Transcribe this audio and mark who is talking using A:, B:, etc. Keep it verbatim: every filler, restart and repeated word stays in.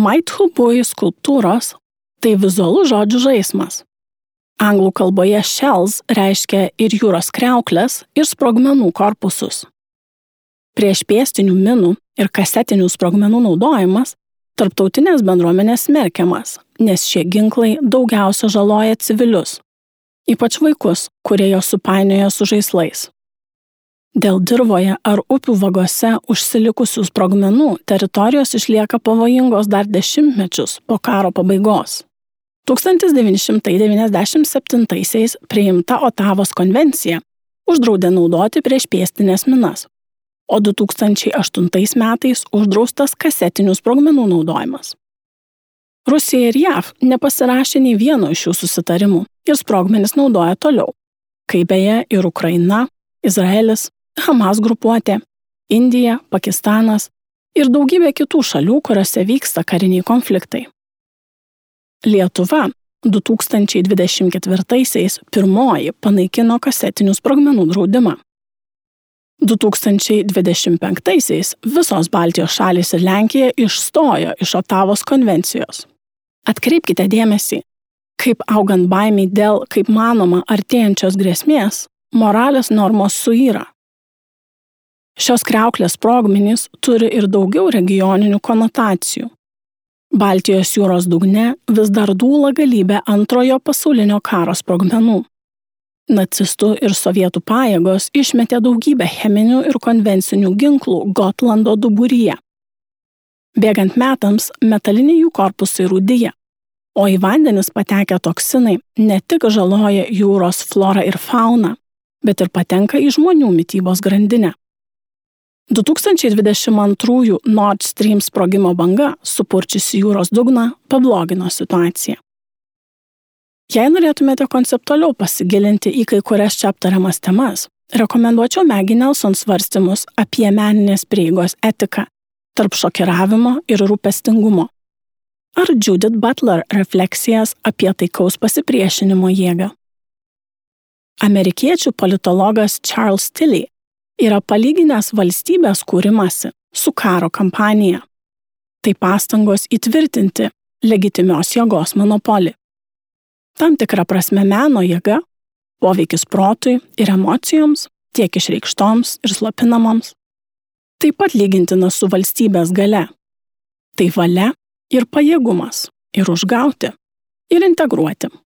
A: Maithubui skulptūros – tai vizualus žodžių žaismas. Anglų kalboje shells reiškia ir jūros kriauklės, ir sprogmenų korpusus. Prieš pėstinių minų ir kasetinių sprogmenų naudojimas tarptautinės bendruomenės smerkiamas, nes šie ginklai daugiausia žaloja civilius, ypač vaikus, kurie jos supainioja su žaislais. Dėl dirvoje ar upių vagose užsilikusių sprogmenų teritorijos išlieka pavojingos dar dešimtmečius po karo pabaigos. tūkstantis devyni šimtai devyniasdešimt septintaisiais priimta Otavos konvencija uždraudė naudoti priešpėstines minas, o du tūkstančiai aštuntais metais uždraustas kasetinių sprogmenų naudojimas. Rusija ir J A V nepasirašė nei vieno iš šių susitarimų ir sprogmenis naudoja toliau, kaip beje ir Ukraina, Izraelis, Hamas grupuotė, Indija, Pakistanas ir daugybė kitų šalių, kuriuose vyksta kariniai konfliktai. Lietuva du tūkstančiai dvidešimt ketvirtaisiais pirmoji panaikino kasetinių sprogmenų draudimą. du tūkstančiai dvidešimt penktaisiais visos Baltijos šalys ir Lenkija išstojo iš Otavos konvencijos. Atkreipkite dėmesį, kaip augant baimiai dėl, kaip manoma, artėjančios grėsmės, moralės normos suyra. Šios kriauklės sprogmenys turi ir daugiau regioninių konotacijų. Baltijos jūros dugne vis dar dūla galybė antrojo pasaulinio karo sprogmenų. Nacistų ir sovietų pajėgos išmetė daugybę cheminių ir konvencinių ginklų Gotlando duburyje. Bėgant metams, metaliniai jų korpusai rūdija, o į vandenis patekę toksinai ne tik žaloja jūros florą ir fauną, bet ir patenka į žmonių mitybos grandinę. du tūkstančiai dvidešimt antrųjų Nord Stream sprogimo banga, supurčiusi jūros dugną, pablogino situaciją. Jei norėtumėte konceptualiau pasigilinti į kai kurias čia aptariamas temas, rekomenduočiau Maggie Nelson svarstymus apie meninės prieigos etiką tarp šokiravimo ir rūpestingumo, ar Judith Butler refleksijas apie taikaus pasipriešinimo jėgą. Amerikiečių politologas Charles Tilly yra palyginęs valstybės kūrimasi su karo kampanija. Tai pastangos įtvirtinti legitimios jėgos monopolį. Tam tikra prasme meno jėga, poveikis protui ir emocijoms, tiek išreikštoms ir slopinamoms, taip pat lygintina su valstybės galia. Tai valia ir pajėgumas ir užgauti, ir integruoti.